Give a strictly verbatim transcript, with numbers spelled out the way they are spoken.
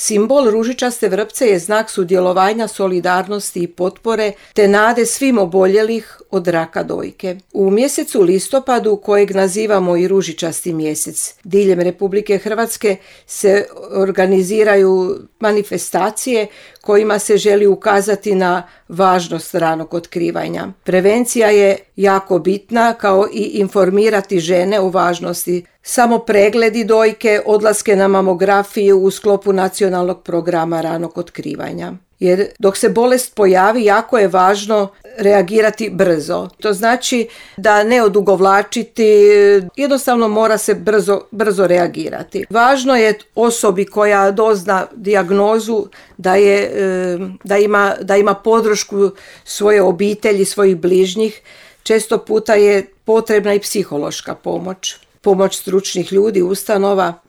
Simbol ružičaste vrpce je znak sudjelovanja, solidarnosti i potpore te nade svim oboljelih od raka dojke. U mjesecu listopadu, kojeg nazivamo i ružičasti mjesec, diljem Republike Hrvatske se organiziraju manifestacije kojima se želi ukazati na važnost ranog otkrivanja. Prevencija je jako bitna, kao i informirati žene o važnosti samo pregledi dojke, odlaske na mamografiju u sklopu nacionalnog programa ranog otkrivanja. Jer dok se bolest pojavi, jako je važno reagirati brzo. To znači da ne odugovlačiti, jednostavno mora se brzo, brzo reagirati. Važno je osobi koja dozna dijagnozu da, je, da, ima, da ima podršku svoje obitelji, svojih bližnjih. Često puta je potrebna i psihološka pomoć. Pomoć stručnih ljudi, ustanova.